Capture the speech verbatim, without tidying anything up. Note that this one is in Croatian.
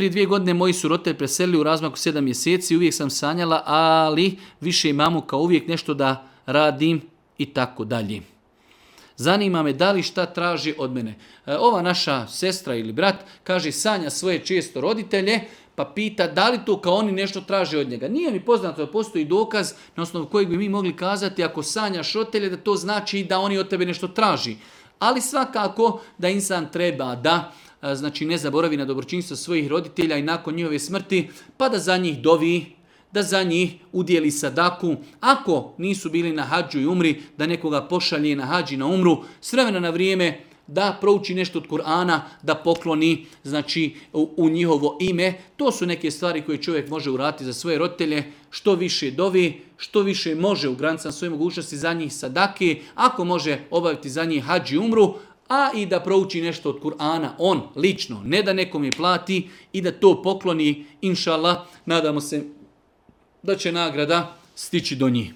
prije dvije godine moji su roditelji preselili u razmaku sedam mjeseci, uvijek sam sanjala, ali više imamo kao uvijek nešto da radim i tako dalje. Zanima me da li šta traži od mene. Ova naša sestra ili brat kaže sanja svoje često roditelje, pa pita da li to kao oni nešto traže od njega. Nije mi poznato da postoji dokaz na osnovu kojeg bi mi mogli kazati ako sanjaš roditelje da to znači da oni od tebe nešto traži. Ali svakako da insan treba da znači ne zaboravi na dobročinstvo svojih roditelja i nakon njihove smrti, pa da za njih dovi, da za njih udjeli sadaku. Ako nisu bili na hadžu i umri, da nekoga pošalje na hadži na umru, s vremena na vrijeme da prouči nešto od Kur'ana, da pokloni znači, u, u njihovo ime. To su neke stvari koje čovjek može uraditi za svoje roditelje. Što više dovi, što više može u granicama svoje mogućnosti za njih sadake, ako može obaviti za njih hadži i umru, a i da prouči nešto od Kur'ana, on lično, ne da nekom je plati i da to pokloni, inša Allah, nadamo se da će nagrada stići do njih.